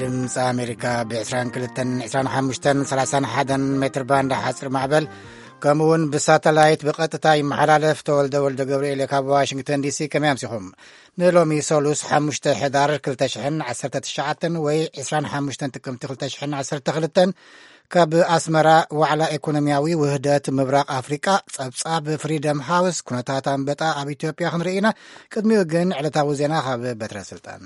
ድምፂ ኣሜሪካ ብ22፣ 25፣ 31 ሜትር ባንድ ሓፂር ማዕበል፣ ከምኡ እውን ብሳተላይት ብቐጥታ ይመሓላለፍ። ተወልደ ወልደ ገብርኤል ካብ ዋሽንግተን ዲሲ። ከመይ ኣምሲኹም? ንሎሚ ሰሉስ ሓሙሽተ ሕዳር ክልተ ሽሕን ዓሰርተ ትሽዓተን ወይ ዕስራን ሓሙሽተን ጥቅምቲ ክልተ ሽሕን ዓሰርተ ክልተን ካብ ኣስመራ ዋዕላ ኢኮኖሚያዊ ውህደት ምብራቕ ኣፍሪቃ፣ ጸብጻብ ፍሪደም ሃውስ፣ ኩነታት ኣንበጣ ኣብ ኢትዮጵያ ክንርኢ ኢና። ቅድሚኡ ግን ዕለታዊ ዜና ካብ በትረ ስልጣን።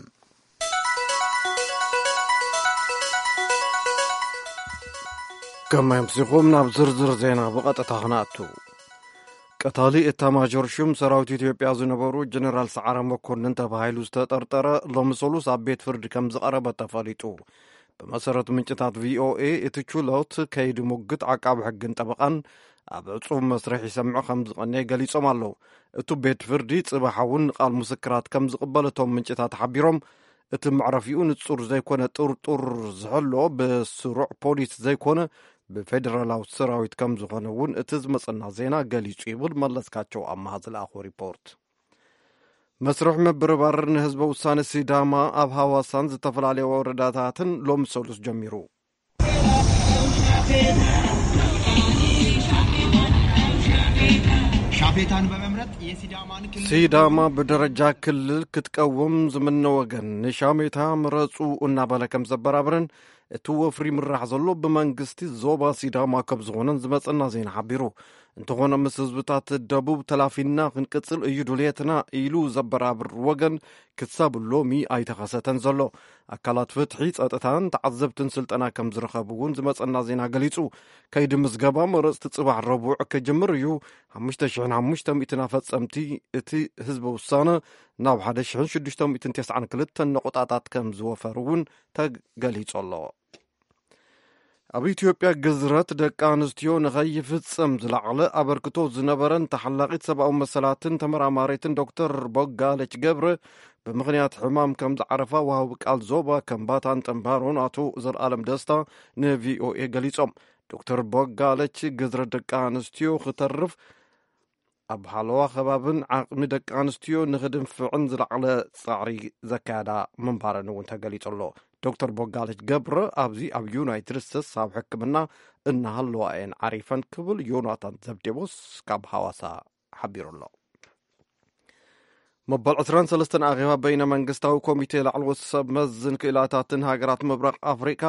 ከመይ ኣምሲኹም? ናብ ዝርዝር ዜና ብቐጥታ ክነኣቱ። ቀታሊ ኤታማዦር ሹም ሰራዊት ኢትዮጵያ ዝነበሩ ጀነራል ሰዓረ መኮንን ተባሂሉ ዝተጠርጠረ ሎሚ ሰሉስ ኣብ ቤት ፍርዲ ከም ዝቐረበ ተፈሊጡ። ብመሰረት ምንጭታት ቪኦኤ፣ እቲ ችሎት ከይዲ ሙግት ዓቃቢ ሕግን ጠበቓን ኣብ ዕጹብ መስርሕ ይሰምዑ ከም ዝቐነየ ገሊጾም ኣለዉ። እቱ ቤት ፍርዲ ጽባሕ እውን ቃል ምስክራት ከም ዝቕበል እቶም ምንጭታት ሓቢሮም፣ እቲ መዕረፊኡ ንጹር ዘይኮነ ጥርጡር ዝሕሎ ብስሩዕ ፖሊስ ዘይኮነ ብፌደራላዊ ሰራዊት ከም ዝኾነ እውን እቲ ዝመጸና ዜና ገሊጹ ይብል መለስካቸው ኣማሃ ዝለኣኾ ሪፖርት። መስርሕ ምብርባር ንህዝበ ውሳነ ሲዳማ ኣብ ሃዋሳን ዝተፈላለየ ወረዳታትን ሎሚ ሰሉስ ጀሚሩ። ሻፌታን በመምረጥ የሲዳማን ክልል ሲዳማ ብደረጃ ክልል ክትቀውም ዝምነ ወገን ንሻሜታ ምረጹ እናበለ ከም ዘበራብርን እቲ ወፍሪ ምራሕ ዘሎ ብመንግስቲ ዞባ ሲዳማ ከም ዝኾነን ዝመጸና ዜና ሓቢሩ። እንተኾነ ምስ ህዝብታት ደቡብ ተላፊና ክንቅጽል እዩ ድልየትና ኢሉ ዘበራብር ወገን ክሳብ ሎሚ ኣይተኸሰተን ዘሎ። ኣካላት ፍትሒ፣ ጸጥታን ተዓዘብትን ስልጠና ከም ዝረኸቡ እውን ዝመጸና ዜና ገሊጹ። ከይዲ ምዝገባ መረጽቲ ጽባሕ ረቡዕ ክጅምር እዩ። ሓሙሽተ ሽሕን ሓሙሽተ ሚእትን ኣፈጸምቲ እቲ ህዝበ ውሳነ ናብ ሓደ ሽሕን ሽዱሽተ ሚእትን ተስዓን ክልተን ነቑጣታት ከም ዝወፈሩ እውን ተገሊጹ ኣሎ። ኣብ ኢትዮጵያ ግዝረት ደቂ ኣንስትዮ ንኸይፍጸም ዝለዓለ ኣበርክቶ ዝነበረን ተሓላቒት ሰብኣዊ መሰላትን ተመራማሪትን ዶክተር ቦጋለች ገብረ ብምኽንያት ሕማም ከም ዝዓረፋ ወሃቢ ቃል ዞባ ከምባታን ጠምባሮን ኣቶ ዘልኣለም ደስታ ንቪኦኤ ገሊጾም። ዶክተር ቦጋለች ግዝረት ደቂ ኣንስትዮ ክተርፍ ኣብ ሃለዋ ከባብን ዓቕሚ ደቂ ኣንስትዮ ንኽድንፍዕን ዝለዓለ ጻዕሪ ዘካየዳ ምንባረን እውን ተገሊጹ ኣሎ። ዶክተር ቦጋለች ገብረ ኣብዚ ኣብ ዩናይትድ ስቴትስ ኣብ ሕክምና እናሃለዋ እየን ዓሪፈን ክብል ዮናታን ዘብዴዎስ ካብ ሃዋሳ ሓቢሩ ኣሎ። መበል ዕስራን ሰለስተን ኣኼባ በይነ መንግስታዊ ኮሚቴ ላዕለዎት ሰብ መዝን ክኢላታትን ሃገራት ምብራቕ ኣፍሪቃ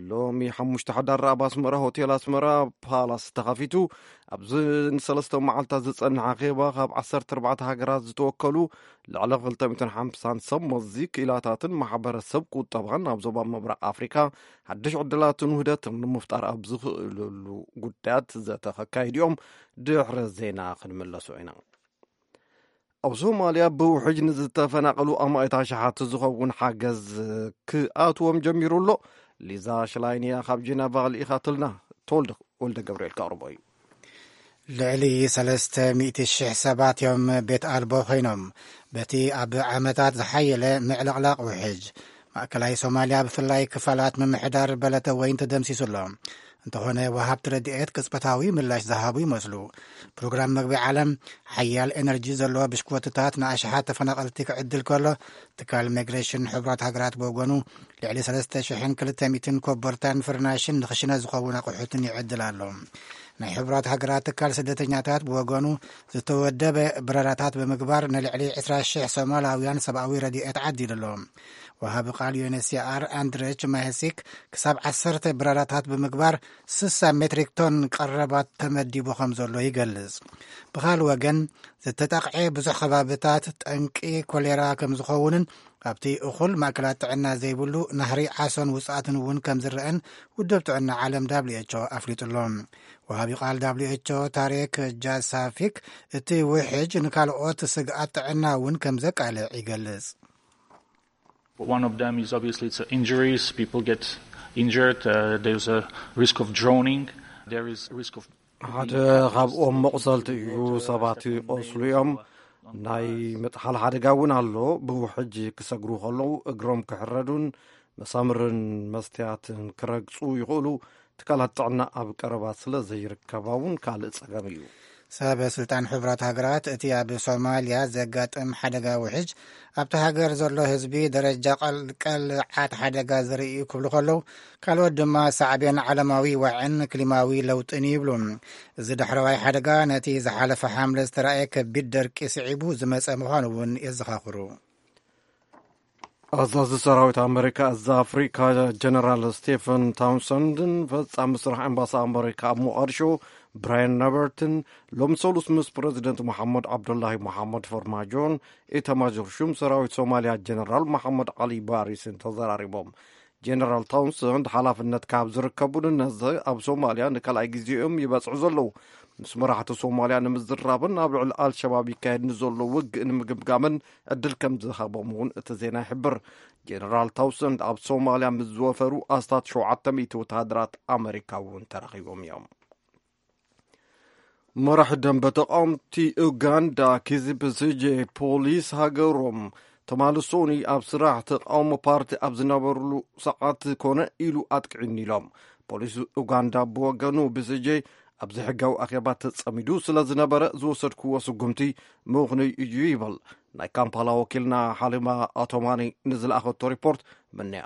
ሎሚ ሓሙሽተ ሕዳር ኣብ ኣስመራ ሆቴል ኣስመራ ፓላስ ተኸፊቱ። ኣብዚ ንሰለስተ መዓልታት ዝጸንሕ ኣኼባ ካብ ዓሰርተ ኣርባዕተ ሃገራት ዝተወከሉ ልዕሊ ክልተ ሚእትን ሓምሳን ሰብ መዚ ክኢላታትን ማሕበረሰብ ቁጠባን ኣብ ዞባ ምብራቕ ኣፍሪካ ሓድሽ ዕድላትን ውህደትን ንምፍጣር ኣብ ዝኽእልሉ ጉዳያት ዘተ ከካይዱ እዮም። ድሕሪ ዜና ክንምለሱ ኢና። ኣብ ሶማልያ ብውሕጅ ንዝተፈናቐሉ ኣማኢት ኣሽሓት ዝኸውን ሓገዝ ክኣትዎም ጀሚሩ ኣሎ። ሊዛ ሽላይንያ ካብ ጀነቫ ልኢኻትልና። ተወልደ ወልደ ገብርኤል ከቕርቦ እዩ። ልዕሊ ሰለስተ ሚእቲ ሽሕ ሰባት እዮም ቤት ኣልቦ ኮይኖም በቲ ኣብ ዓመታት ዝሓየለ ምዕልቕላቕ ውሕጅ። ማእከላይ ሶማልያ ብፍላይ ክፋላት ምምሕዳር በለተ ወይን ተደምሲሱ ኣሎ። እንተኾነ ወሃብቲ ረድኤት ቅጽበታዊ ምላሽ ዝሃቡ ይመስሉ። ፕሮግራም መግቢ ዓለም ሓያል ኤነርጂ ዘለዎ ብሽክወትታት ንኣሽሓት ተፈናቐልቲ ክዕድል ከሎ ትካል ሚግሬሽን ሕቡራት ሃገራት ብወገኑ ልዕሊ ሰለስተ ሽሕን ክልተ ሚእትን ኮቦርታን ፍርናሽን ንኽሽነ ዝኸውን ኣቑሑትን ይዕድል ኣሎ። ናይ ሕቡራት ሃገራት ትካል ስደተኛታት ብወገኑ ዝተወደበ በረራታት ብምግባር ንልዕሊ ዕስራ ሽሕ ሶማላውያን ሰብኣዊ ረድኤት ዓዲሉ ኣሎ። ወሃቢ ቃል ዩኤንኤችሲኣር ኣንድሬች ማሄሲክ ክሳብ ዓሰርተ በረራታት ብምግባር ስሳ ሜትሪክ ቶን ቀረባት ተመዲቡ ከም ዘሎ ይገልጽ። ብኻል ወገን ዝተጠቕዐ ብዙሕ ከባብታት ጠንቂ ኮሌራ ከም ዝኸውንን ኣብቲ እኹል ማእከላት ጥዕና ዘይብሉ ናህሪ ዓሶን ውጽኣትን እውን ከም ዝረአን ውድብ ጥዕና ዓለም ደብሊው ኤች ኦ ኣፍሊጡ ኣሎ። ወሃቢ ቃል ደብሊው ኤች ኦ ታሬክ ጃሳፊክ እቲ ውሕጅ ንካልኦት ስግኣት ጥዕና እውን ከም ዘቃልዕ ይገልጽ። One of them is obviously it's injuries. People get injured. Uh, there's a risk of drowning. There is risk of ሓደ ካብኦም መቑሰልቲ እዩ። ሰባት ይቆስሉ እዮም። ናይ ምጥሓል ሓደጋ እውን ኣሎ። ብውሕጅ ክሰግሩ ከለዉ እግሮም ክሕረዱን መሳምርን መስትያትን ክረግጹ ይኽእሉ። ትካላት ጥዕና ኣብ ቀረባ ስለ ዘይርከባ እውን ካልእ ጸገም እዩ። ሰበ ስልጣን ሕቡራት ሃገራት እቲ ኣብ ሶማልያ ዘጋጥም ሓደጋ ውሕጅ ኣብቲ ሃገር ዘሎ ህዝቢ ደረጃ ቀልቀል ዓት ሓደጋ ዘርኢ እዩ ክብሉ ከለዉ፣ ካልኦት ድማ ሳዕቤን ዓለማዊ ዋዕን ክሊማዊ ለውጥን ይብሉ። እዚ ዳሕረዋይ ሓደጋ ነቲ ዝሓለፈ ሓምለ ዝተራእየ ከቢድ ደርቂ ስዒቡ ዝመጸ ምዃኑ እውን የዘኻኽሩ። ኣዛዚ ሰራዊት ኣመሪካ፣ እዚ ኣፍሪካ፣ ጀነራል ስቴፈን ታውንሰንድን ፈጻሚ ስራሕ ኤምባሲ ኣመሪካ ኣብ ሞቃዲሾ ብራያን ሮበርትን ሎም ሰሉስ ምስ ፕረዚደንት መሓመድ ዓብዱላሂ መሓመድ ፈርማጆን ኤታማዦር ሹም ሰራዊት ሶማልያ ጀነራል መሓመድ ዓሊ ባሪስን ተዘራሪቦም። ጀነራል ታውንሰንድ ሓላፍነት ካብ ዝርከቡን ነዚ ኣብ ሶማልያ ንካልኣይ ግዜኦም ይበጽሑ ዘለዉ ምስ መራሕቲ ሶማልያ ንምዝራብን ኣብ ልዕሊ ኣልሸባብ ይካየድ ንዘሎ ውግእ ንምግምጋምን ዕድል ከም ዝሃቦም እውን እቲ ዜና ይሕብር። ጀነራል ታውሰንድ ኣብ ሶማልያ ምስ ዝወፈሩ ኣስታት ሸውዓተ ሚእቲ ወተሃደራት ኣመሪካ እውን ተረኺቦም እዮም። መራሒ ደንበ ተቃወምቲ ኡጋንዳ ኪዚ ብስጄ ፖሊስ ሃገሮም ትማሊ ሶኒ ኣብ ስራሕ ተቃውሞ ፓርቲ ኣብ ዝነበሩሉ ሰዓት ኮነ ኢሉ ኣጥቂዑኒ ኢሎም። ፖሊስ ኡጋንዳ ብወገኑ ብስጄ ኣብዚ ሕጋዊ ኣኼባ ተጸሚዱ ስለ ዝነበረ ዝወሰድክዎ ስጉምቲ ምኽኑይ እዩ ይብል። ናይ ካምፓላ ወኪልና ሓሊማ ኣቶማኒ ንዝለኣኸቶ ሪፖርት ምንያ።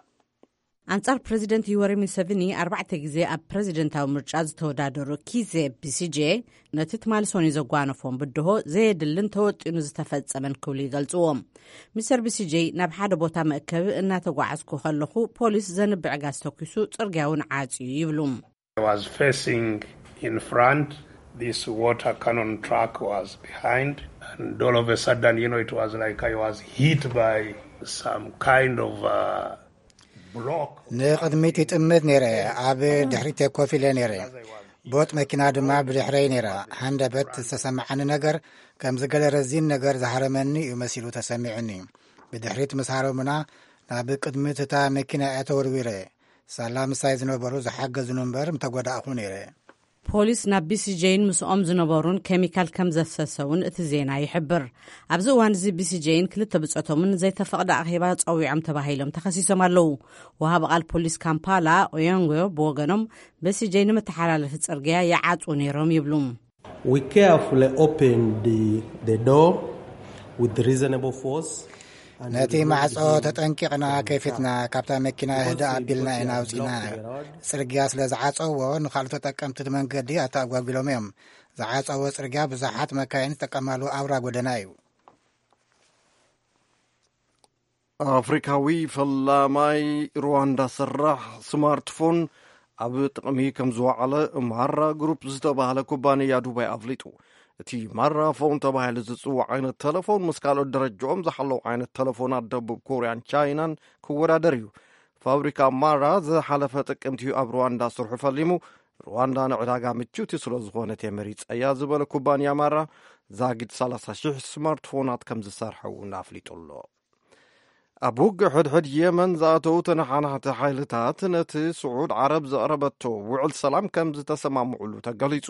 ኣንጻር ፕረዚደንት ዩወሪ ሙሰቪኒ ኣርባዕተ ግዜ ኣብ ፕረዚደንታዊ ምርጫ ዝተወዳደሩ ኪዜ ቢሲጄ፣ ነቲ ትማሊ ሶኒ ዘጓነፎም ብድሆ ዘየድልን ተወጢኑ ዝተፈጸመን ክብሉ ይገልጽዎ። ሚስተር ቢሲጄ፣ ናብ ሓደ ቦታ መእከቢ እናተጓዓዝኩ ከለኹ ፖሊስ ዘንብዕ ጋዝ ተኩሱ፣ ጽርግያ እውን ዓጽዩ ይብሉ። I was facing in front, this water cannon truck was behind, and all of a sudden, you know, it was like I was hit by some kind of uh, block. ንቕድሚት ይጥምት ነይረ፣ ኣብ ድሕሪት ኮፍ ኢለ ነይረ። ቦጥ መኪና ድማ ብድሕረይ ነይራ። ሃንደበት ዝተሰማዓኒ ነገር ከምዚ ገለ ረዚን ነገር ዝሃረመኒ እዩ መሲሉ ተሰሚዑኒ። ብድሕሪት ምስ ሃረሙና ናብ ቅድሚት እታ መኪና እያ ተወርዊረ። ሳላ ምሳይ ዝነበሩ ዝሓገዙኒ እምበር ምተጎዳእኹ ነይረ። ፖሊስ ናብ ቢሲጄይን ምስኦም ዝነበሩን ኬሚካል ከም ዘፍሰሰ እውን እቲ ዜና ይሕብር። ኣብዚ እዋን እዚ ቢሲጄይን ክልተ ብጾቶምን ዘይተፈቕደ ኣኼባ ጸዊዖም ተባሂሎም ተኸሲሶም ኣለዉ። ወሃቢ ቃል ፖሊስ ካምፓላ ኦዮንጎ ብወገኖም፣ ቢሲጄይ ንመተሓላለፊ ጽርግያ ይዓጽዉ ነይሮም ይብሉ። We carefully opened the, the door with reasonable force. ነቲ ማዕጾ ተጠንቂቕና ከፊትና፣ ካብታ መኪና ህድእ ኣቢልና ኢና ኣውጺእና። ጽርግያ ስለ ዝዓጸዎ፣ ንኻልኦት ተጠቀምቲ መንገዲ ኣተኣጓጒሎም እዮም። ዝዓጸዎ ጽርግያ ብዙሓት መካይን ዝጥቀማሉ ኣውራ ጎደና እዩ። ኣፍሪካዊ ፈላማይ ሩዋንዳ ሰራሕ ስማርትፎን ኣብ ጥቕሚ ከም ዝወዓለ ማራ ግሩፕ ዝተባህለ ኩባንያ ዱባይ ኣፍሊጡ። እቲ ማራ ፎን ተባሂሉ ዝጽዋዕ ዓይነት ተለፎን ምስ ካልኦት ደረጃኦም ዝሓለዉ ዓይነት ተለፎናት ደቡብ ኮርያን ቻይናን ክወዳደር እዩ። ፋብሪካ ማራ ዝሓለፈ ጥቅምቲ እዩ ኣብ ሩዋንዳ ስርሑ ፈሊሙ። ሩዋንዳ ንዕዳጋ ምችውቲ ስለ ዝኾነት እየ መሪጸያ ዝበለ ኩባንያ ማራ፣ ዛጊድ ሰላሳ ሽሕ ስማርትፎናት ከም ዝሰርሐ እውን ኣፍሊጡ ኣሎ። ኣብ ውግእ ሕድሕድ የመን ዝኣተዉ ተነሓናሕቲ ሓይልታት ነቲ ስዑድ ዓረብ ዘቕረበቶ ውዕል ሰላም ከም ዝተሰማምዑሉ ተገሊጹ።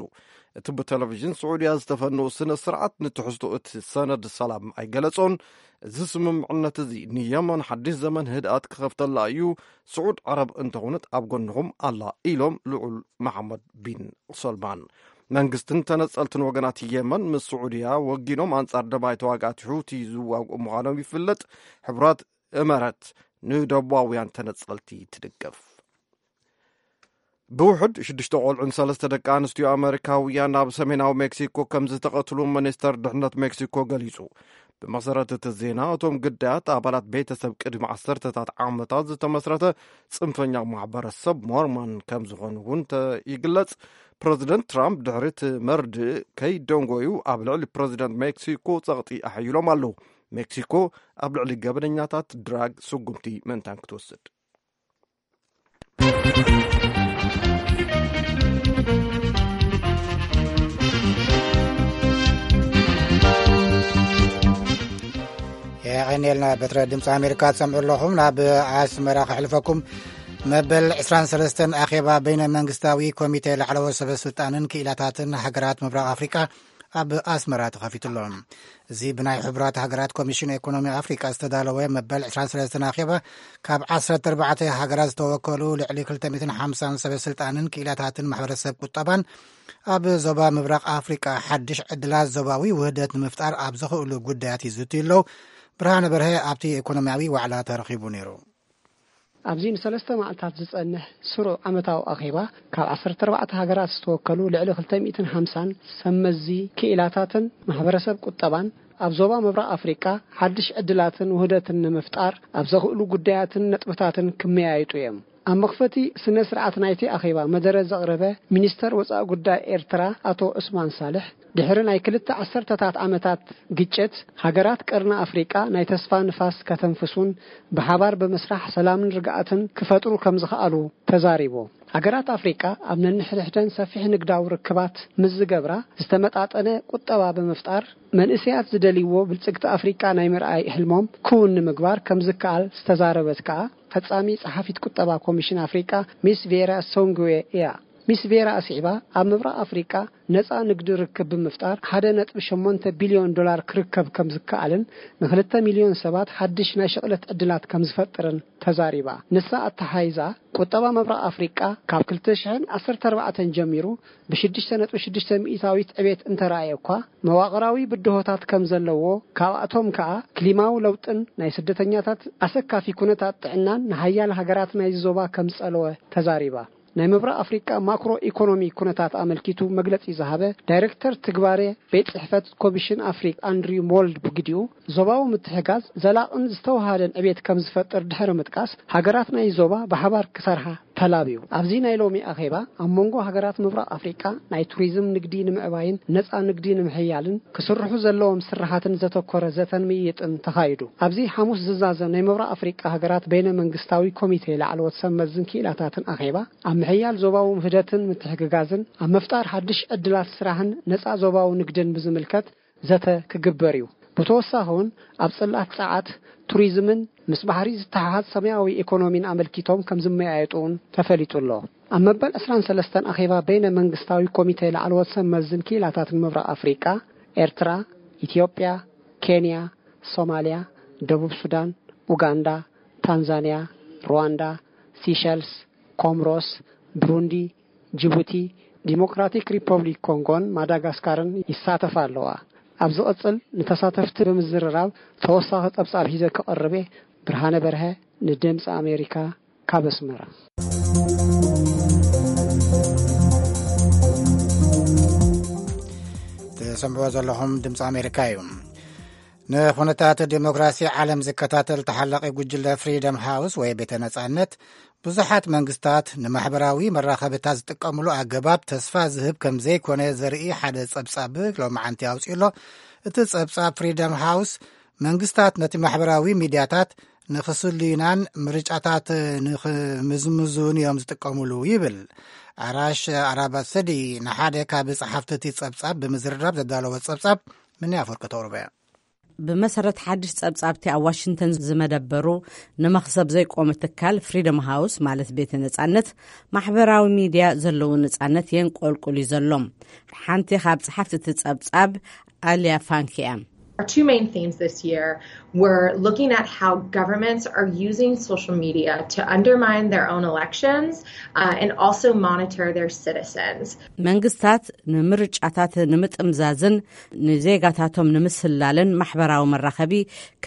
እቲ ብቴሌቪዥን ስዑድያ ዝተፈነወ ስነ ስርዓት ንትሕዝቶ እቲ ሰነድ ሰላም ኣይገለጾን። እዚ ስምምዕነት እዚ ንየመን ሓድሽ ዘመን ህድኣት ክኸፍተላ እዩ። ስዑድ ዓረብ እንተኾነት ኣብ ጎንኹም ኣላ ኢሎም ልዑል መሓመድ ቢን ሰልማን። መንግስትን ተነጸልትን ወገናት የመን ምስ ስዑድያ ወጊኖም ኣንጻር ደባይ ተዋጋእቲ ሑቲ ዝዋግኡ ምዃኖም ይፍለጥ። ሕቡራት እመረት ንደቡባውያን ተነጸልቲ ትድግፍ። ብውሕድ ሽዱሽተ ቆልዑን ሰለስተ ደቂ ኣንስትዮ ኣመሪካውያን ናብ ሰሜናዊ ሜክሲኮ ከም ዝተቐትሉ ሚኒስተር ድሕነት ሜክሲኮ ገሊጹ። ብመሰረት እቲ ዜና፣ እቶም ግዳያት ኣባላት ቤተሰብ ቅድሚ ዓሰርተታት ዓመታት ዝተመስረተ ጽንፈኛ ማሕበረሰብ ሞርሞን ከም ዝኾኑ እውን ተ-፣ ይግለጽ። ፕረዚደንት ትራምፕ ድሕሪ እቲ መርድእ ከይደንጎዩ ኣብ ልዕሊ ፕረዚደንት ሜክሲኮ ጸቕጢ ኣሐይሎም ኣለዉ። ሜክሲኮ ኣብ ልዕሊ ገበነኛታት ድራግ ስጉምቲ ምእንታን ክትወስድ። የቐኔልና በትረ ድምፂ ኣሜሪካ ትሰምዑ ኣለኹም። ናብ ኣስመራ ከሕልፈኩም። መበል ዕስራን ሰለስተን ኣኼባ በይነ መንግስታዊ ኮሚቴ ላዕለዎት ሰበ ስልጣንን ክኢላታትን ሃገራት ምብራቕ ኣፍሪቃ ኣብ ኣስመራ ተኸፊቱ ኣሎ። እዚ ብናይ ሕቡራት ሃገራት ኮሚሽን ኢኮኖሚ ኣፍሪቃ ዝተዳለወ መበል ዕስራን ሰለስተን ኣኼባ፣ ካብ ዓሰርተ ኣርባዕተ ሃገራት ዝተወከሉ ልዕሊ ክልተ ሚእትን ሓምሳን ሰበ ስልጣንን ክኢላታትን ማሕበረሰብ ቁጠባን ኣብ ዞባ ምብራቕ ኣፍሪቃ ሓድሽ ዕድላት ዞባዊ ውህደት ንምፍጣር ኣብ ዘኽእሉ ጉዳያት ይዝትዩ ኣለዉ። ብርሃነ በርሀ ኣብቲ ኢኮኖሚያዊ ዋዕላ ተረኺቡ ነይሩ። ኣብዚ ንሰለስተ መዓልታት ዝጸንሕ ስሩዕ ዓመታዊ ኣኼባ፣ ካብ ዓሰርተ ኣርባዕተ ሃገራት ዝተወከሉ ልዕሊ ክልተ ሚእትን ሓምሳን ሰብ መዚ ክኢላታትን ማሕበረሰብ ቁጠባን ኣብ ዞባ ምብራቕ ኣፍሪቃ ሓድሽ ዕድላትን ውህደትን ንምፍጣር ኣብ ዘኽእሉ ጉዳያትን ነጥብታትን ክመያየጡ እዮም። ኣብ መኽፈቲ ስነ ስርዓት ናይቲ ኣኼባ መደረ ዘቕረበ ሚኒስተር ወጻኢ ጉዳይ ኤርትራ ኣቶ ዑስማን ሳልሕ፣ ድሕሪ ናይ ክልተ ዓሰርተታት ዓመታት ግጭት፣ ሃገራት ቀርኒ ኣፍሪቃ ናይ ተስፋ ንፋስ ከተንፍሱን ብሓባር ብምስራሕ ሰላምን ርግኣትን ክፈጥሩ ከም ዝኸኣሉ ተዛሪቡ። ሃገራት ኣፍሪቃ ኣብ ነንሕድሕደን ሰፊሕ ንግዳዊ ርክባት ምስ ዝገብራ፣ ዝተመጣጠነ ቁጠባ ብምፍጣር፣ መንእሰያት ዝደልይዎ ብልጽግቲ ኣፍሪቃ ናይ ምርኣይ ሕልሞም ክውን ንምግባር ከም ዝከኣል ዝተዛረበት ከኣ ፈጻሚ ጸሓፊት ቁጠባ ኮሚሽን ኣፍሪቃ ሚስ ቬራ ሶንግዌ እያ። ሚስ ቬራ ኣስዒባ፣ ኣብ ምብራቕ ኣፍሪቃ ነጻ ንግዲ ርክብ ብምፍጣር ሓደ ነጥቢ ሸሞንተ ቢልዮን ዶላር ክርከብ ከም ዝከኣልን ንክልተ ሚልዮን ሰባት ሓድሽ ናይ ሽቕለት ዕድላት ከም ዝፈጥርን ተዛሪባ። ንሳ ኣተሓይዛ፣ ቁጠባ ምብራቕ ኣፍሪቃ ካብ ክልተ ሽሕን ዓሰርተ ኣርባዕተን ጀሚሩ ብሽዱሽተ ነጥቢ ሽዱሽተ ሚእታዊት ዕቤት እንተረኣየ እኳ፣ መዋቕራዊ ብድሆታት ከም ዘለዎ፣ ካብኣቶም ከኣ ክሊማዊ ለውጥን ናይ ስደተኛታት ኣሰካፊ ኩነታት ጥዕናን ንሃያል ሃገራት ናይዚ ዞባ ከም ዝጸለወ ተዛሪባ። ናይ ምብራቕ ኣፍሪቃ ማክሮ ኢኮኖሚ ኩነታት ኣመልኪቱ መግለጺ ዝሃበ ዳይሬክተር ትግባሬ ቤት ጽሕፈት ኮሚሽን ኣፍሪቃ ኣንድሪው ሞልድ ብግዲኡ፣ ዞባዊ ምትሕጋዝ ዘላቕን ዝተወሃደን ዕቤት ከም ዝፈጥር ድሕሪ ምጥቃስ፣ ሃገራት ናይ ዞባ ብሓባር ክሰርሓ ተላብዩ። ኣብዚ ናይ ሎሚ ኣኼባ፣ ኣብ መንጎ ሃገራት ምብራቕ ኣፍሪቃ ናይ ቱሪዝም ንግዲ ንምዕባይን ነጻ ንግዲ ንምሕያልን ክስርሑ ዘለዎም ስራሓትን ዘተኮረ ዘተን ምይይጥን ተኻይዱ። ኣብዚ ሓሙስ ዝዛዘም ናይ ምብራቕ ኣፍሪቃ ሃገራት በይነ መንግስታዊ ኮሚቴ ላዕለዎት ሰብ መዝን ክኢላታትን ኣኼባ፣ ኣብ ምሕያል ዞባዊ ውህደትን ምትሕግጋዝን፣ ኣብ ምፍጣር ሓድሽ ዕድላት ስራሕን ነጻ ዞባዊ ንግድን ብዝምልከት ዘተ ክግበር እዩ። ብተወሳኺ እውን ኣብ ጽላት ጸዓት፣ ቱሪዝምን ምስ ባሕሪ ዝተሓሓዝ ሰማያዊ ኢኮኖሚን ኣመልኪቶም ከም ዝመያየጡ እውን ተፈሊጡ ኣሎ። ኣብ መበል ዕስራን ሰለስተን ኣኼባ በይነ መንግስታዊ ኮሚቴ ላዕለዎት ሰብ መዝን ክኢላታትን ምብራቕ ኣፍሪቃ፣ ኤርትራ፣ ኢትዮጵያ፣ ኬንያ፣ ሶማልያ፣ ደቡብ ሱዳን፣ ኡጋንዳ፣ ታንዛንያ፣ ሩዋንዳ፣ ሲሸልስ፣ ኮምሮስ፣ ብሩንዲ፣ ጅቡቲ፣ ዲሞክራቲክ ሪፐብሊክ ኮንጎን ማዳጋስካርን ይሳተፋ ኣለዋ። ኣብ ዝቕጽል ንተሳተፍቲ ብምዝርራብ ተወሳኺ ጸብጻብ ሒዘ ክቐርብ እየ። ብርሃነ በርሀ ንድምፂ ኣሜሪካ ካብ ኣስመራ። ትሰምዕዎ ዘለኹም ድምፂ ኣሜሪካ እዩ። ንኹነታት ዲሞክራሲ ዓለም ዝከታተል ተሓላቒ ጉጅለ ፍሪደም ሃውስ ወይ ቤተ ነጻነት፣ ብዙሓት መንግስታት ንማሕበራዊ መራኸብታት ዝጥቀምሉ ኣገባብ ተስፋ ዝህብ ከም ዘይኮነ ዘርኢ ሓደ ጸብጻብ ሎማዓንቲ ኣውጺኡ ኣሎ። እቲ ጸብጻብ ፍሪደም ሃውስ፣ መንግስታት ነቲ ማሕበራዊ ሚድያታት ንኽስልዩናን ምርጫታት ንኽምዝምዙን እዮም ዝጥቀምሉ ይብል። ኣራሽ ኣራባሰዲ ንሓደ ካብ ጸሓፍቲ እቲ ጸብጻብ ብምዝርራብ ዘዳለወ ጸብጻብ፣ ምንያ ኣፈወርቂ ተቕርቦ እያ። ብመሰረት ሓድሽ ጸብጻብቲ ኣብ ዋሽንግተን ዝመደበሩ ንመኽሰብ ዘይቆመ ትካል ፍሪደም ሃውስ፣ ማለት ቤተ ነጻነት፣ ማሕበራዊ ሚድያ ዘለዎ ነጻነት የንቆልቁል እዩ ዘሎ። ሓንቲ ካብ ጸሓፍቲ እቲ ጸብጻብ ኣልያ ፋንክ እያ። Our two main themes this year were looking at how governments are using social media to undermine their own elections, uh, and also monitor their citizens. መንግስታት ንምርጫታት ንምጥምዛዝን ንዜጋታቶም ንምስላልን ማሕበራዊ መራኸቢ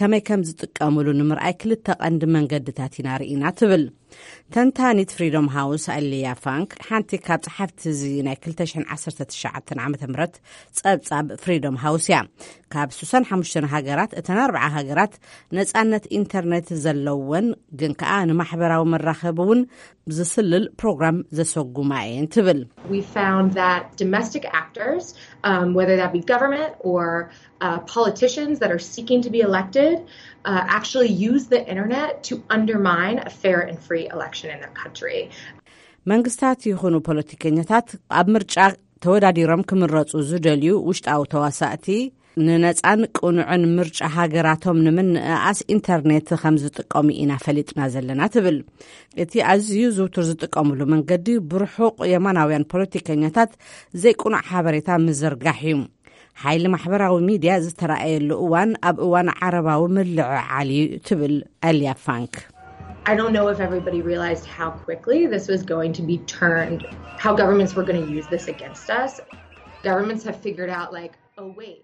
ከመይ ከም ዝጥቀምሉ ንምርኣይ ክልተ ቀንዲ መንገድታት ኢና ርኢና ትብል። ተንታኒት ፍሪደም ሃውስ ኣሊያ ፋንክ ሓንቲ ካብ ጸሓፍቲ እዚ ናይ ክልተ ሽሕን ዓሰርተ ትሽዓተን ዓመተ ምህረት ጸብጻብ ፍሪደም ሃውስ እያ። ካብ ስሳን ሓሙሽተን ሃገራት፣ እተን ኣርብዓ ሃገራት ነጻነት ኢንተርኔት ዘለወን፣ ግን ከኣ ንማሕበራዊ መራኸቢ እውን ዝስልል ፕሮግራም ዘሰጉማ እየን ትብል። We found that domestic actors, um, whether that be government or, uh, politicians that are seeking to be elected, uh, actually use the internet to undermine a fair and free election in their country. መንግስታት ይኹኑ ፖለቲከኛታት ኣብ ምርጫ ተወዳዲሮም ክምረጹ ዝደልዩ ውሽጣዊ ተዋሳእቲ ንነጻን ቅኑዕን ምርጫ ሃገራቶም ንምንእኣስ ኢንተርኔት ከም ዝጥቀሙ ኢና ፈሊጥና ዘለና ትብል። እቲ ኣዝዩ ዝውቱር ዝጥቀምሉ መንገዲ ብርሑቕ የማናውያን ፖለቲከኛታት ዘይቅኑዕ ሓበሬታ ምዝርጋሕ እዩ። ሓይሊ ማሕበራዊ ሚድያ ዝተረኣየሉ እዋን ኣብ እዋን ዓረባዊ ምልዕዓል እዩ ትብል ኣልያ ፋንክ። I don't know if everybody realized how quickly this was going to be turned, how governments were going to use this against us. Governments have figured out, like, oh, wait.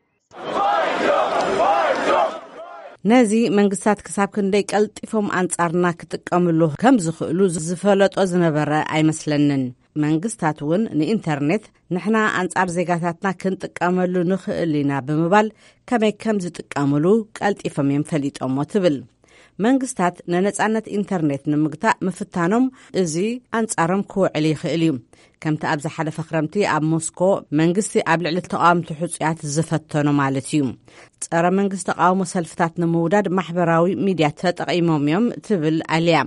ነዚ መንግስታት ክሳብ ክንደይ ቀልጢፎም ኣንጻርና ክጥቀምሉ ከም ዝኽእሉ ዝፈለጦ ዝነበረ ኣይመስለንን። መንግስታት እውን ንኢንተርኔት ንሕና ኣንጻር ዜጋታትና ክንጥቀመሉ ንኽእል ኢና ብምባል ከመይ ከም ዝጥቀምሉ ቀልጢፎም እዮም ፈሊጦሞ ትብል። መንግስታት ንነጻነት ኢንተርኔት ንምግታእ ምፍታኖም እዚ ኣንጻሮም ክውዕል ይኽእል እዩ። ከምቲ ኣብ ዝሓለፈ ክረምቲ ኣብ ሞስኮ መንግስቲ ኣብ ልዕሊ ተቃወምቲ ሕጹያት ዝፈተኖ ማለት እዩ። ጸረ መንግስቲ ተቃውሞ ሰልፍታት ንምውዳድ ማሕበራዊ ሚድያ ተጠቂሞም እዮም ትብል ኣልያ።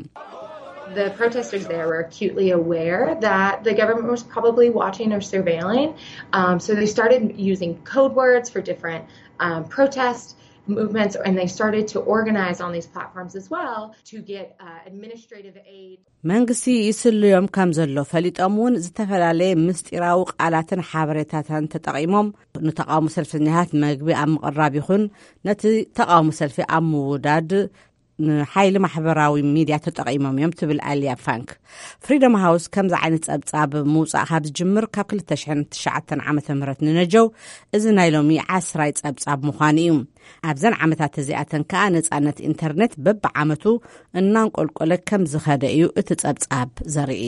The protesters there were acutely aware that the government was probably watching or surveilling. Um, so they started using code words for different um, protest movements, and they started to organize on these platforms as well to get uh, administrative aid. መንግስቲ ይስልዮም ከም ዘሎ ፈሊጦም እውን ዝተፈላለየ ምስጢራዊ ቃላትን ሓበሬታትን ተጠቂሞም ንተቃውሞ ሰልፈኛታት መግቢ ኣብ ምቕራብ ይኹን ነቲ ተቃውሞ ሰልፊ ኣብ ምውዳድ ንሓይሊ ማሕበራዊ ሚድያ ተጠቂሞም እዮም ትብል ኣልያ ፋንክ። ፍሪደም ሃውስ ከምዚ ዓይነት ጸብጻብ ምውጻእ ካብ ዝጅምር ካብ ክልተ ሽሕን ትሽዓተን ዓመተ ምህረት ንነጀው እዚ ናይ ሎሚ ዓስራይ ጸብጻብ ምዃኑ እዩ። ኣብዘን ዓመታት እዚኣተን ከኣ ነጻነት ኢንተርኔት በብዓመቱ እናንቆልቆለ ከም ዝኸደ እዩ እቲ ጸብጻብ ዘርኢ።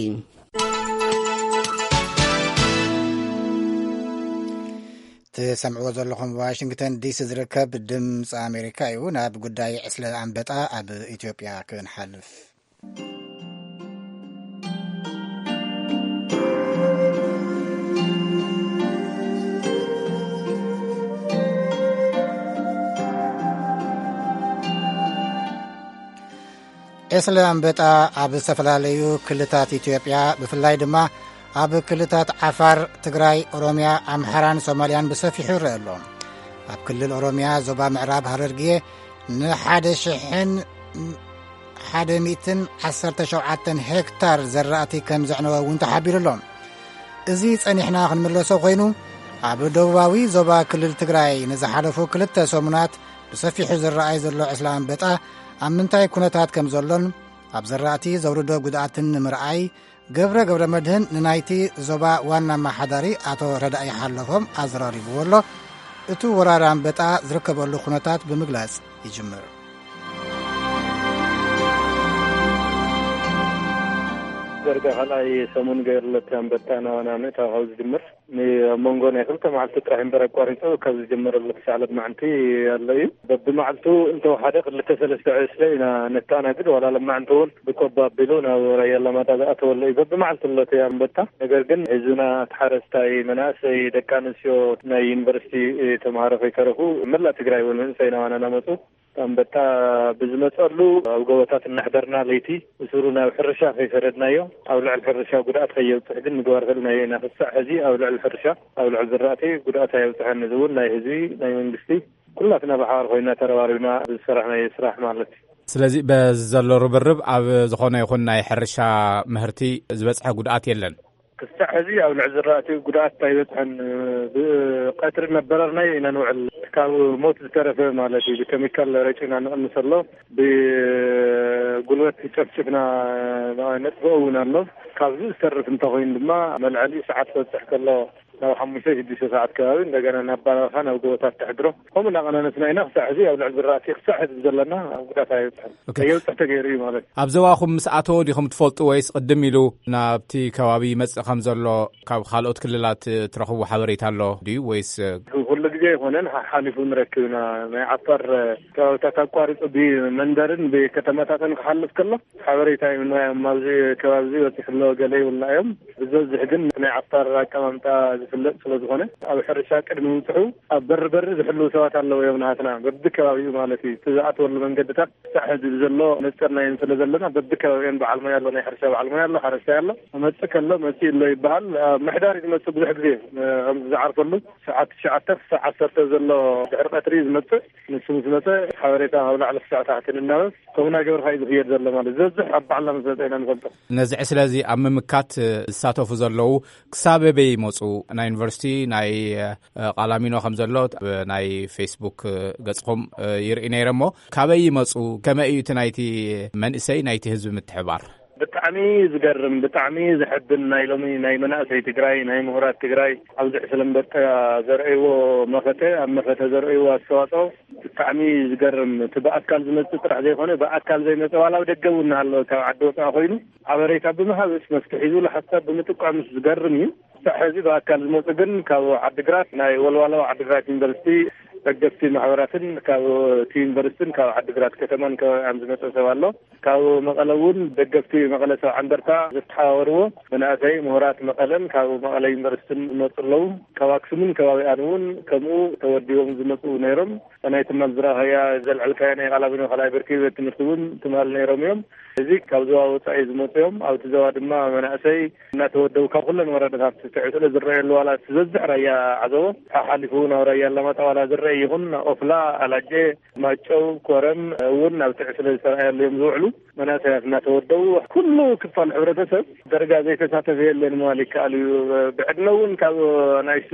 ትሰምዕዎ ዘለኹም ዋሽንግተን ዲሲ ዝርከብ ድምፂ ኣሜሪካ እዩ። ናብ ጉዳይ ዕስለ ኣንበጣ ኣብ ኢትዮጵያ ክንሓልፍ። ዕስለ ኣንበጣ ኣብ ዝተፈላለዩ ክልታት ኢትዮጵያ ብፍላይ ድማ ኣብ ክልታት ዓፋር፣ ትግራይ፣ ኦሮምያ፣ ኣምሓራን ሶማልያን ብሰፊሑ ይረአ ኣሎ። ኣብ ክልል ኦሮምያ ዞባ ምዕራብ ሃረርጌ ንሓደ ሽሕን ሓደ ሚእትን ዓሰርተ ሸውዓተን ሄክታር ዘራእቲ ከም ዘዕነወ እውን ተሓቢሩ ኣሎ። እዚ ጸኒሕና ክንምለሶ ኮይኑ ኣብ ደቡባዊ ዞባ ክልል ትግራይ ንዝሓለፉ ክልተ ሰሙናት ብሰፊሑ ዝረኣይ ዘሎ ዕስለ ኣንበጣ ኣብ ምንታይ ኩነታት ከም ዘሎን ኣብ ዘራእቲ ዘውርዶ ጉድኣትን ንምርኣይ ገብረ ገብረ መድህን ንናይቲ ዞባ ዋና ኣመሓዳሪ ኣቶ ረዳኢ ሓለፎም ኣዘራሪብዎ ኣሎ። እቲ ወራር ኣንበጣ ዝርከበሉ ኩነታት ብምግላጽ ይጅምር። ደርጋ ካልኣይ ሰሙን ገይርለት ኣንበጣ ናባና ምእታው ካብ ዝጅምር ኣብ መንጎ ናይ ክልተ መዓልቲ ጥራሕ እምበር ኣቋሪፁ ካብ ዝጀመረሉ ክሳዕ ለማዕንቲ ኣሎ እዩ። በብመዓልቱ እንተወሓደ ክልተ ሰለስተ ዕስለ ኢና ነተኣናግድ። ዋላ ለማዕንቲ እውን ብቆባ ኣቢሉ ናብ ራያ ኣላማጣ ዝኣተወሉ እዩ። በብመዓልቱ ኣሎ እቲ ኣንበጣ። ነገር ግን ህዝብና፣ እቲ ሓረስታይ፣ መናእሰይ፣ ደቂ ኣንስትዮ፣ ናይ ዩኒቨርሲቲ ተምሃሮ ከይተረፉ መላእ ትግራይ እውን መንእሰይ ናባና እናመፁ ኣንበጣ ብዝመፀሉ ኣብ ጎቦታት እናሕደርና ለይቲ ብስሩ ናብ ሕርሻ ከይሰደድናዮ ኣብ ልዕሊ ሕርሻ ጉድኣት ከየብፅሕ ግን ምግባር ክእልናዮ ኢና። ክሳዕ ሕዚ ኣብ ልዕሊ ሕርሻ፣ ኣብ ልዕሊ ዝራእቲ ጉድኣት ኣየብፅሐን። እዚ እውን ናይ ህዝቢ፣ ናይ መንግስቲ፣ ኩላትና ብሓባር ኮይና ተረባሪብና ዝሰራሕናዮ ስራሕ ማለት እዩ። ስለዚ በዚ ዘሎ ርብርብ ኣብ ዝኾነ ይኹን ናይ ሕርሻ ምህርቲ ዝበፅሐ ጉድኣት የለን። ክሳዕ ሕዚ ኣብ ልዕሊ ዝራእቲ ጉድኣት ኣይበፅሐን። ብቀትሪ እናበረርናዮ ኢና ንውዕል። ካብ ሞት ዝተረፈ ማለት እዩ። ብኬሚካል ረጭና ንቕንስ ኣሎ። ብጉልበት ጨፍጭፍና ነጥፍኦ እውን ኣሎ። ካብዚ ዝተርፍ እንተኮይኑ ድማ መልዐሊ ሰዓት ክበፅሕ ከሎ ናብ ሓሙሽተ ሽዱሽተ ሰዓት ከባቢ እንደገና ናብ ባረኻ ናብ ጎቦታት ተሕድሮ ከምኡ እናቐናነስና ኢና። ክሳዕ ሕዚ ኣብ ልዕሊ ዝራእቲ ክሳዕ ሕዚ ዘለና ጉዳት ኣይበፅሐን። ከየብፅሕ ተገይሩ እዩ ማለት እዩ። ኣብ ዞባኹም ምስ ኣተወ ዲኹም ትፈልጡ ወይስ ቅድም ኢሉ ናብቲ ከባቢ ይመጽእ ከም ዘሎ ካብ ካልኦት ክልላት ትረኽቡ ሓበሬታ ኣሎ ድዩ ወይስ? ኩሉ ግዜ ኣይኮነን፣ ሓሓሊፉ ንረክብ ኢና። ናይ ዓፋር ከባብታት ኣቋሪፁ ብመንደርን ብከተማታትን ክሓልፍ ከሎ ሓበሬታ ይብልና እዮም። ኣብዚ ከባቢ እዚ በፂሑ ኣሎ ገለ ይብልና እዮም። ብዝበዝሕ ግን ናይ ዓፋር ኣቀማምጣ ዝፍለጥ ስለ ዝኾነ ኣብ ሕርሻ ቅድሚ ምብፅሑ ኣብ በሪ በሪ ዝሕልዉ ሰባት ኣለዉ እዮም ናሃትና በብከባቢኡ ማለት እዩ። እቲ ዝኣተወሉ መንገድታት ክሳዕ ሕዚ ብዘሎ ነፀርናየን ስለ ዘለና በብከባቢአን በዓል ሞያ ኣሎ፣ ናይ ሕርሻ በዓል ሞያ ኣሎ፣ ሓረስታይ ኣሎ። መፅእ ከሎ መፅእ ኣሎ ይበሃል። ኣብ ምሕዳር እዩ ዝመፅእ ብዙሕ ግዜ ከምዚ ዝዓርፈሉ ሰዓት ትሽዓተ ክሳዕ ዓሰርተ ዘሎ ድሕሪ ቀትሪ እዩ ዝመፅእ። ንሱ ምስ መፀ ሓበሬታ ካብ ላዕሊ ክሳዕ ታሕቲ ንናበብ ከምኡ እናገበርካ እዩ ዝኽየድ ዘሎ ማለት ዝበዝሕ ኣብ ባዕልና ምስ መፀ ኢና ንፈልጦ። ነዚ ዕስለ እዚ ኣብ ምምካት ዝሳተፉ ዘለዉ ክሳብ ኣበይ ይመፁ? ዩኒቨርሲቲ ናይ ቃላሚኖ ከም ዘሎ ናይ ፌስቡክ ገጽኹም ይርኢ ነይረ። እሞ ካበይ ይመጹ? ከመይ እዩ እቲ ናይቲ መንእሰይ ናይቲ ህዝቢ ምትሕባር? ብጣዕሚ ዝገርም፣ ብጣዕሚ ዘሕብን፣ ናይ ሎሚ ናይ መናእሰይ ትግራይ፣ ናይ ምሁራት ትግራይ ኣብዚ ዕስለ ኣንበጣ ዘርእይዎ መኸተ፣ ኣብ መኸተ ዘርእይዎ ኣስተዋፅኦ ብጣዕሚ ዝገርም። እቲ ብኣካል ዝመፅእ ጥራሕ ዘይኮነ፣ ብኣካል ዘይመፀ ዋላ ኣብ ደገ እውን እናሃለወ ካብ ዓዲ ወፃኢ ኮይኑ ሓበሬታ ብምሃብስ፣ መፍትሒ ዝብሉ ሓሳብ ብምጥቋምስ ዝገርም እዩ። ክሳዕ ሕዚ ብኣካል ዝመፁ ግን ካብ ዓዲግራት፣ ናይ ወልዋሎ ዓዲግራት ዩኒቨርሲቲ ደገፍቲ ማሕበራትን ካብ እቲ ዩኒቨርሲቲን ካብ ዓዲግራት ከተማን ከባቢኣን ዝመፀ ሰብ ኣሎ። ካብ መቐለ እውን ደገፍቲ መቐለ ሰብዓ እንደርታ ዝተሓባበርዎ መናእሰይ ምሁራት መቐለን ካብ መቐለ ዩኒቨርሲቲን ዝመፁ ኣለዉ። ካብ ኣክሱምን ከባቢኣን እውን ከምኡ ተወዲቦም ዝመፁ ነይሮም። ናይ ትማል ዝረኣኸያ ዘልዐልካዮ ናይ ቃላሚኖ ካልኣይ ብርኪ ቤት ትምህርቲ እውን ትማል ነይሮም እዮም። እዚ ካብ ዞባ ወፃኢ ዝመፁ እዮም። ኣብቲ ዞባ ድማ መናእሰይ እናተወደቡ ካብ ኩለን ወረዳታት ትዕስለ ዝረኣየሉ ዋላ እቲ ዝበዝሕ ራያ ዓዘቦ ሓሓሊፉ ናብ ራያ ኣላማጣ ዋላ ዝረአ ይኹን ኦፍላ፣ ኣላጀ፣ ማጨው፣ ኮረም እውን ናብ ትዕስለ ዝተረኣየሉ እዮም ዝውዕሉ። መናእሰያት እናተወደቡ ኩሉ ክፋል ሕብረተሰብ ደረጃ ዘይተሳተፈ የለን ምባል ይከኣል እዩ። ብዕድመ እውን ካብ ናይሱ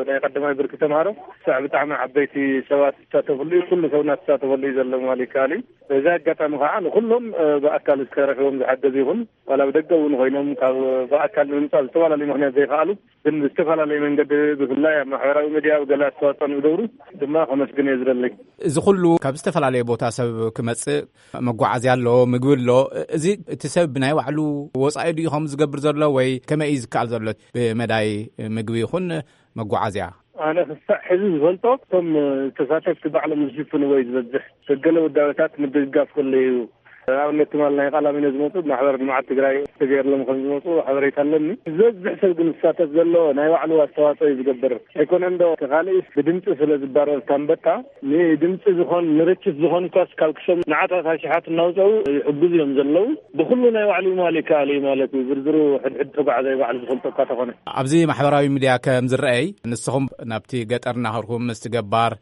ናይ ቀዳማይ ብርኪ ተምሃሮ ክሳዕ ብጣዕሚ ዓበይቲ ሰባት ዝሳተፍሉ እዩ። ኩሉ ሰብ እናተሳተፈሉ እዩ ዘሎ ምባል ይከኣል እዩ። በዚ ኣጋጣሚ ከዓ ንኩሎም ብኣካል ዝተረኽቦም ዝሓገዝ ይኹን ዋላ ብደገ እውን ኮይኖም ካብ ብኣካል ንምምፃእ ዝተፈላለዩ ምክንያት ዘይከኣሉ ግን ብዝተፈላለየ መንገዲ ብፍላይ ኣብ ማሕበራዊ ሚድያ ኣብ ገለ ኣስተዋፅኦ ንዝገብሩ ድማ ከመስግን እየ ዝደለይ። እዚ ኩሉ ካብ ዝተፈላለየ ቦታ ሰብ ክመፅእ መጓዓዝያ ኣሎ፣ ምግቢ ኣሎ። እዚ እቲ ሰብ ብናይ ባዕሉ ወፃኢ ድዩ ከም ዝገብር ዘሎ ወይ ከመይ እዩ ዝከኣል ዘሎ ብመዳይ ምግቢ ይኹን መጓዓዝያ? ኣነ ክሳዕ ሕዚ ዝፈልጦ እቶም ተሳተፍቲ ባዕሎም ዝሽፍንዎ እዩ ዝበዝሕ። ገለ ውዳበታት ምድግጋፍ ከሎ እዩ። ኣብነት ትማል ናይ ቃላሚኖ ዝመፁ ማሕበር ልምዓት ትግራይ ተገይርሎም ከም ዝመፁ ሓበሬታ ኣለኒ። ዝበዝሕ ሰብ ግን ዝሳተፍ ዘሎ ናይ ባዕሉ ኣስተዋፅኦ እዩ ዝገብር። ኣይኮነን ዶ እቲ ካልእስ ብድምፂ ስለ ዝባረር ታንበጣ ንድምፂ ዝኾን ንርችት ዝኾን ኳስ ካብ ክሰም ንዓታት ኣሽሓት እናውፀኡ ይሕግዙ እዮም ዘለዉ። ብኩሉ ናይ ባዕሉ ምባል ይከኣል እዩ ማለት እዩ። ዝርዝሩ ሕድሕድ ተጓዓዛይ ባዕሉ ዝፈልጦ እኳ ተኾነ። ኣብዚ ማሕበራዊ ሚድያ ከም ዝረኣይ ንስኹም ናብቲ ገጠር እናኸድኩም ምስቲ ገባር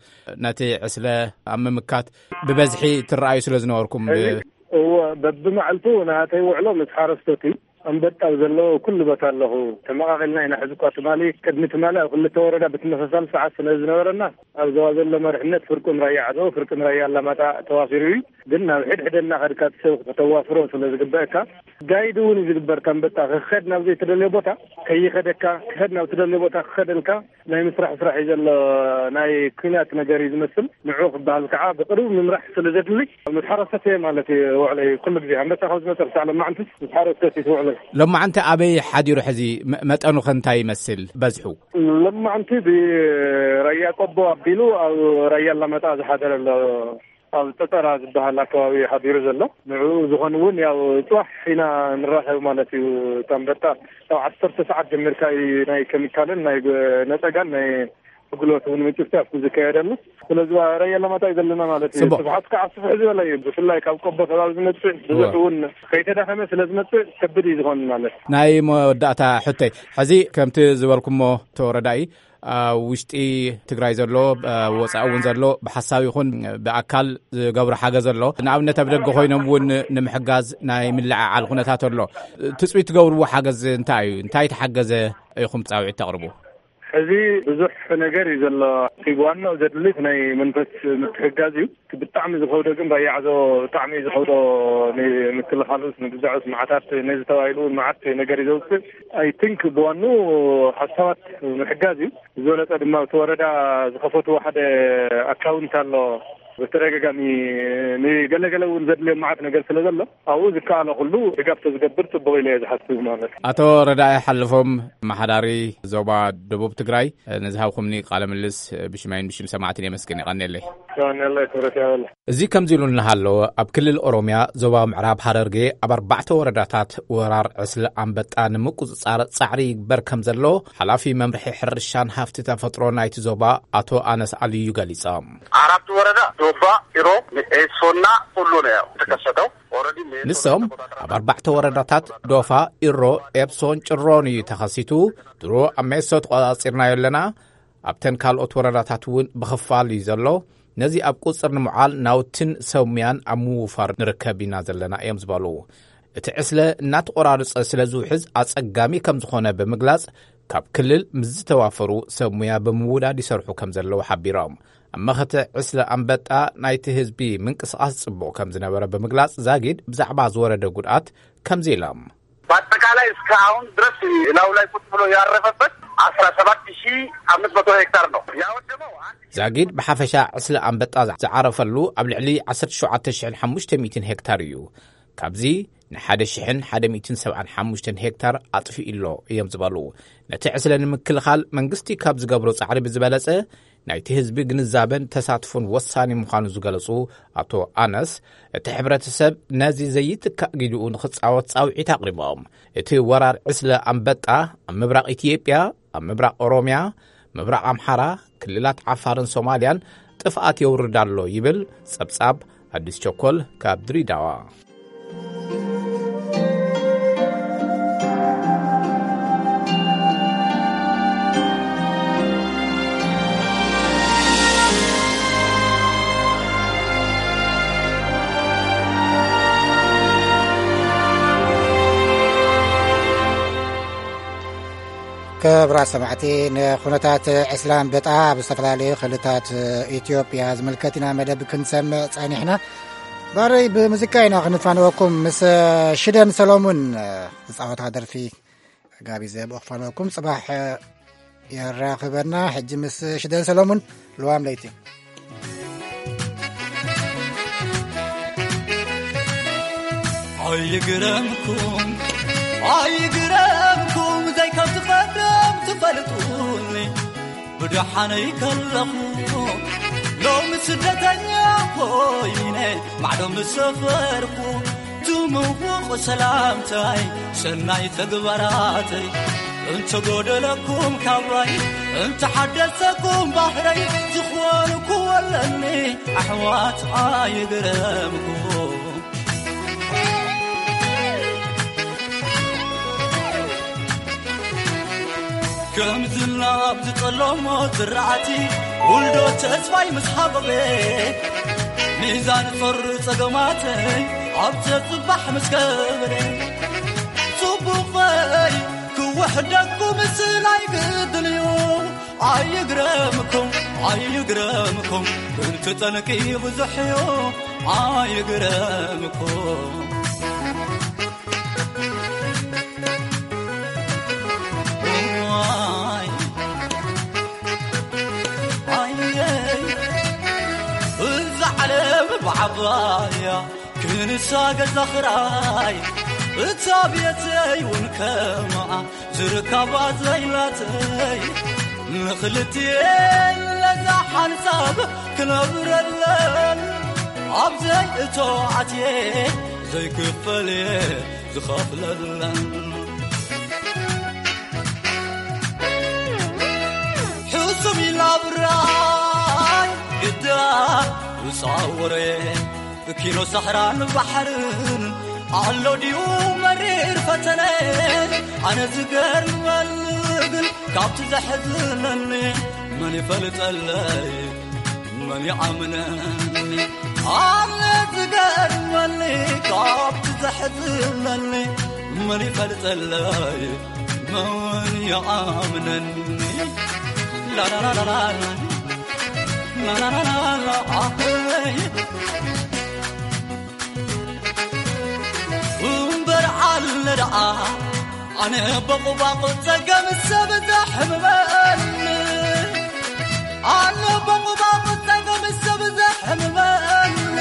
ነቲ ዕስለ ኣብ ምምካት ብበዝሒ ትረኣዩ ስለ ዝነበርኩም ብ- እዚ እዎ፣ በብመዓልቱ ናተይ ውዕሎ ምስ ሓረስቶት እዩ። ኣንበጣ ኣብ ዘለዎ ኩሉ ቦታ ኣለኹ። ተመቓቒልና ኢና። ሕዚ እኳ ትማሊ፣ ቅድሚ ትማሊ ኣብ ክልተ ወረዳ ብተመሳሳሊ ሰዓት ስለ ዝነበረና ኣብ ዞባ ዘሎ መሪሕነት ፍርቁን ራያ ዓዘቦ ፍርቁን ራያ ኣላማጣ ተዋፊሩ እዩ። ግን ናብ ሕድሕደ እናኸድካ እቲ ሰብ ከተዋፍሮ ስለ ዝግበአካ ጋይድ እውን እዩ ዝግበር። ኣንበጣ ክኸድ ናብ ዘይተደለየ ቦታ ከይኸደካ፣ ክኸድ ናብ ተደለየ ቦታ ክኸደልካ ናይ ምስራሕ ስራሕ እዩ ዘሎ። ናይ ኲናት ነገር እዩ ዝመስል። ንዑ ክበሃል ከዓ ብቕርቡ ምምራሕ ስለ ዘድሊ ምስ ሓረስቶት እየ ማለት እዩ ውዕለይ። ኩሉ ግዜ ኣንበጣ ካብ ዝመፀ ክሳዕ ሎማዓንቲ ምስ ሓረስቶት እዩ ውዕለይ። ሎማዓንቲ ኣበይ ሓዲሩ ሕዚ? መ- መጠኑ ከ እንታይ ይመስል በዝሑ? ሎማዓንቲ ብራያ ቆቦ ኣቢሉ ኣብ ራያ ኣላማጣ ዝሓደረ ኣሎ። ኣብ ጠጠራ ዝበሃል ኣከባቢ ሓዲሩ ዘሎ። ንዕኡ ዝኾን እውን ያው ፅባሕ ኢና ንራኸብ ማለት እዩ። እታ ኣንበጣ ካብ ዓሰርተ ሰዓት ጀሚርካ እዩ ናይ ኬሚካልን ናይ ገ- ነፀጋን ናይ ኣገልግሎት እውን ምጭፍጫፍ ዝካየደሉ። ስለዚ ራያ ኣላማጣ እዩ ዘለና ማለት እዩ። ጽቡቕ። ስፍሓት ከዓ ስፍሕ ዝበለ እዩ። ብፍላይ ካብ ቆቦ ከባቢ ዝመፅእ ብዙሕ እውን ከይተዳኸመ ስለ ዝመፅእ ከብድ እዩ ዝኾን ማለት። ናይ መወዳእታ ሕቶይ፣ ሕዚ ከምቲ ዝበልኩሞ ተወረዳኢ ኣብ ውሽጢ ትግራይ ዘሎ፣ ኣብ ወፃኢ እውን ዘሎ ብሓሳብ ይኹን ብኣካል ዝገብሮ ሓገዝ ኣሎ። ንኣብነት ኣብ ደገ ኮይኖም እውን ንምሕጋዝ ናይ ምልዕዓል ኩነታት ኣሎ። ትፅቢት ትገብርዎ ሓገዝ እንታይ እዩ? እንታይ ተሓገዘ ኢኹም ፃውዒት ተቕርቡ? ሕዚ ብዙሕ ነገር እዩ ዘሎ። እቲ ዋናው ዘድልት ናይ መንፈስ ምትሕጋዝ እዩ። እቲ ብጣዕሚ ዝኸብዶ ግን ራያ ዓዘቦ ብጣዕሚ እዩ ዝኸብዶ። ንምክልኻሉስ ንግዛዑስ መዓታት ነዚ ተባሂሉ እውን መዓት ነገር እዩ ዘውፅእ። ኣይ ቲንክ ብዋኑ ሓሳባት ምሕጋዝ እዩ። ዝበለፀ ድማ እቲ ወረዳ ዝኸፈትዎ ሓደ ኣካውንት ኣሎ። ብተደጋጋሚ ንገለገለ እውን ዘድልዮም መዓት ነገር ስለ ዘሎ ኣብኡ ዝከኣሎ ኩሉ ድጋፍ ተዝገብር ፅቡቕ ኢለ እየ ዝሓስብ ማለት እዩ። ኣቶ ረዳኢ ሓልፎም፣ መሓዳሪ ዞባ ደቡብ ትግራይ፣ ንዝሃብኩምኒ ቃለ ምልስ ብሽመይን ብሽም ሰማዕትን የመስግን። የቐንየለይ። የቐንየለይ፣ ክብረት ያበለ። እዚ ከምዚ ኢሉ እናሃለወ፣ ኣብ ክልል ኦሮምያ ዞባ ምዕራብ ሃረርጌ ኣብ ኣርባዕተ ወረዳታት ወራር ዕስለ ኣንበጣ ንምቁጽጻር ጻዕሪ ይግበር ከም ዘሎ ሓላፊ መምርሒ ሕርሻን ሃፍቲ ተፈጥሮ ናይቲ ዞባ ኣቶ ኣነስ ኣልዩ ገሊጾም። አራቱ ወረዳ ዶባ፣ ኢሮ፣ ኤሶና ሁሉ ነው ያው የተከሰተው። ኦልሬዲ ሜሶ ንሶም ተቆጣጥረናል። ኣብ ኣርባዕተ ወረዳታት ዶፋ፣ ኢሮ፣ ኤፕሶን ጭሮን እዩ ተኸሲቱ። ድሮ ኣብ ሜሶ ተቆጻጺርናዮ ኣለና። ኣብተን ካልኦት ወረዳታት እውን ብኽፋል እዩ ዘሎ። ነዚ ኣብ ቁጽር ንምዓል ናውትን ሰሙያን ኣብ ምውፋር ንርከብ ኢና ዘለና እዮም ዝበሉ። እቲ ዕስለ እናተቆራረጸ ስለ ዝውሕዝ ኣጸጋሚ ከም ዝኾነ ብምግላጽ፣ ካብ ክልል ምስ ዝተዋፈሩ ሰብ ሙያ ብምውዳድ ይሰርሑ ከም ዘለዉ ሓቢሮም። ኣብ መኸተ ዕስለ ኣንበጣ ናይቲ ህዝቢ ምንቅስቓስ ጽቡቕ ከም ዝነበረ ብምግላጽ፣ ዛጊድ ብዛዕባ ዝወረደ ጉድኣት ከምዚ ኢሎም። በአጠቃላይ እስከ አሁን ድረስ ላዩ ላይ ቁጭ ብሎ ያረፈበት አስራ ሰባት ሺህ አምስት መቶ ሄክታር ነው ያወደመው። አንድ ዛጊድ ብሓፈሻ ዕስለ ኣንበጣ ዝዓረፈሉ ኣብ ልዕሊ ዓሰርተ ሸውዓተ ሽሕን ሓሙሽተ ሚእትን ሄክታር እዩ። ካብዚ ንሓደ ሽሕን ሓደ ሚእትን ሰብዓን ሓሙሽተን ሄክታር ኣጥፊኡ ኣሎ እዮም ዝበሉ። ነቲ ዕስለ ንምክልኻል መንግስቲ ካብ ዝገብሮ ጻዕሪ ብዝበለጸ፣ ናይቲ ህዝቢ ግንዛበን ተሳትፎን ወሳኒ ምዃኑ ዝገለጹ ኣቶ ኣነስ፣ እቲ ሕብረተሰብ ነዚ ዘይትካእ ግዲኡ ንኽጻወት ጻውዒት ኣቕሪቦም። እቲ ወራር ዕስለ ኣንበጣ ኣብ ምብራቕ ኢትዮጵያ፣ ኣብ ምብራቕ ኦሮምያ፣ ምብራቕ ኣምሓራ፣ ክልላት ዓፋርን ሶማልያን ጥፍኣት የውርድ ኣሎ ይብል ጸብጻብ ኣዲስ ቸኮል ካብ ድሬዳዋ። ክቡራት ሰማዕቲ፣ ንኹነታት ዕስለ ኣንበጣ ኣብ ዝተፈላለዩ ክልታት ኢትዮጵያ ዝምልከት ኢና መደብ ክንሰምዕ ጸኒሕና። ባረይ ብሙዚቃ ኢና ክንፋነወኩም። ምስ ሽደን ሰሎሙን ዝጻወታ ደርፊ ጋቢዘ ብኽፋኖኩም ጽባሕ የራኽበና። ሕጂ ምስ ሽደን ሰሎሙን ልዋም ለይቲ። ኣይግረምኩም፣ ኣይግረምኩም፣ ዘይከም ትቐደም ትፈልጡኒ። ብደሓነይ ከለኹ ሎሚ ስደተኛ ኮይነ ማዕዶ ምስ ሰፈርኩ፣ ትምውቕ ሰላምታይ ሰናይ ተግባራተይ እንተጎደለኩም ካብራይ፣ እንተሓደሰኩም ባህረይ ዝኾንኩ ወለኒ ኣሕዋት ኣይግረምኩም። ከም ዝናብ ዝጠለሞ ዝራእቲ ውልዶ ተስፋይ ምስ ሃበበ፣ ሚዛን ጾር ጸገማተይ ኣብ ዘጽባሕ ምስ ከበረ፣ ጽቡቐይ ክውሕደኩም ምስላይ ግድን እዩ። ኣይግረምኩም፣ ኣይግረምኩም፣ ብልቲ ጠንቂ ብዙሕ እዩ። ኣይግረምኩም። ዋይ፣ ኣየይ፣ እዛ ዓለም ብዓባያ ክንሳ ገዛ ኽራይ፣ እታ ቤተይ እውን ከምኣ ዝርከባ ዘይላተይ፣ ንኽልቲኤን ለዛ ሓንሳብ ክነብረለን፣ ኣብ ዘይእቶ ኣትየ ዘይክፈል እየ ዝኸፍለለን። ሕሱም ኢላ ብራይ ግዳ ውፃወረ፣ ኪኖ ሰሕራን ባሕርን ኣሎ ድዩ መሪር ፈተነ? ኣነ ዝገርመኒ ግን ካብቲ ዘሕዝነኒ መን ይፈልጠለይ፣ መን ይኣምነኒ? ኣነ ዝገርመኒ ካብቲ ዘሕዝነኒ መን ይፈልጠለይ፣ መን ይኣምነኒ? ላላላላላ፣ ላላላላላ፣ ኣይ። እምበር ኣለ ደኣ ኣነ በቑባቑ ጸገም ሰብ ዘሕምመኒ፣ ኣነ በቑባቑ ጸገም ሰብ ዘሕምመኒ፣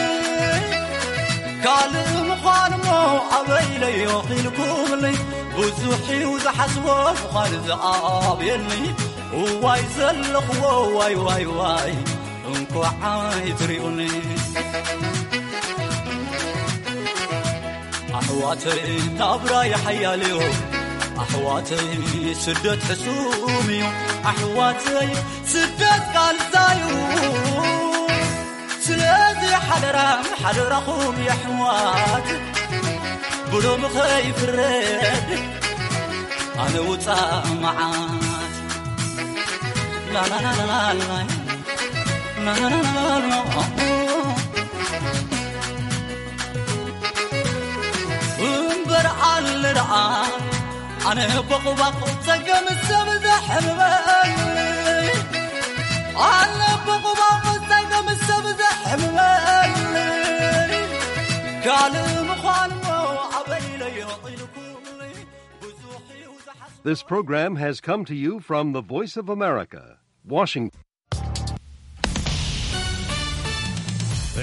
ካልእ ምዃን እሞ ኣበይ ኢለዮ ኢልኩምኒ፣ ብዙሕ እዩ ዝሓስቦ ምዃን ዝኣብየኒ፣ እዋይ ዘለኽዎ ዋይ ዋይ ዋይ እንኳዕ ኣይትሪኡኒ። ኣሕዋተይ ናብራ ይሓያልዮ፣ ኣሕዋተይ ስደት ሕሱም እዩ፣ ኣሕዋተይ ስደት ቃልዛዩ። ስለዚ ሓደራ ሓደራኹም የሕዋት ብሎም ኸይፍረድ ኣነ ውፃእ መዓት። ላላላላላ፣ ላላላላላ። እምበር ኣለ ደኣ ኣነ ቦቕባቕ ጸገም ሰብ ዘሕምበል፣ ኣነ ቦቕባቕ ጸገም ሰብ ዘሕምበል፣ ካልእ ምዃን እሞ ኣበይ ኢለዮ ኢልኩ ብዙሕ እዩ ዝሓስብ። This program has come to you from the Voice of America, Washington.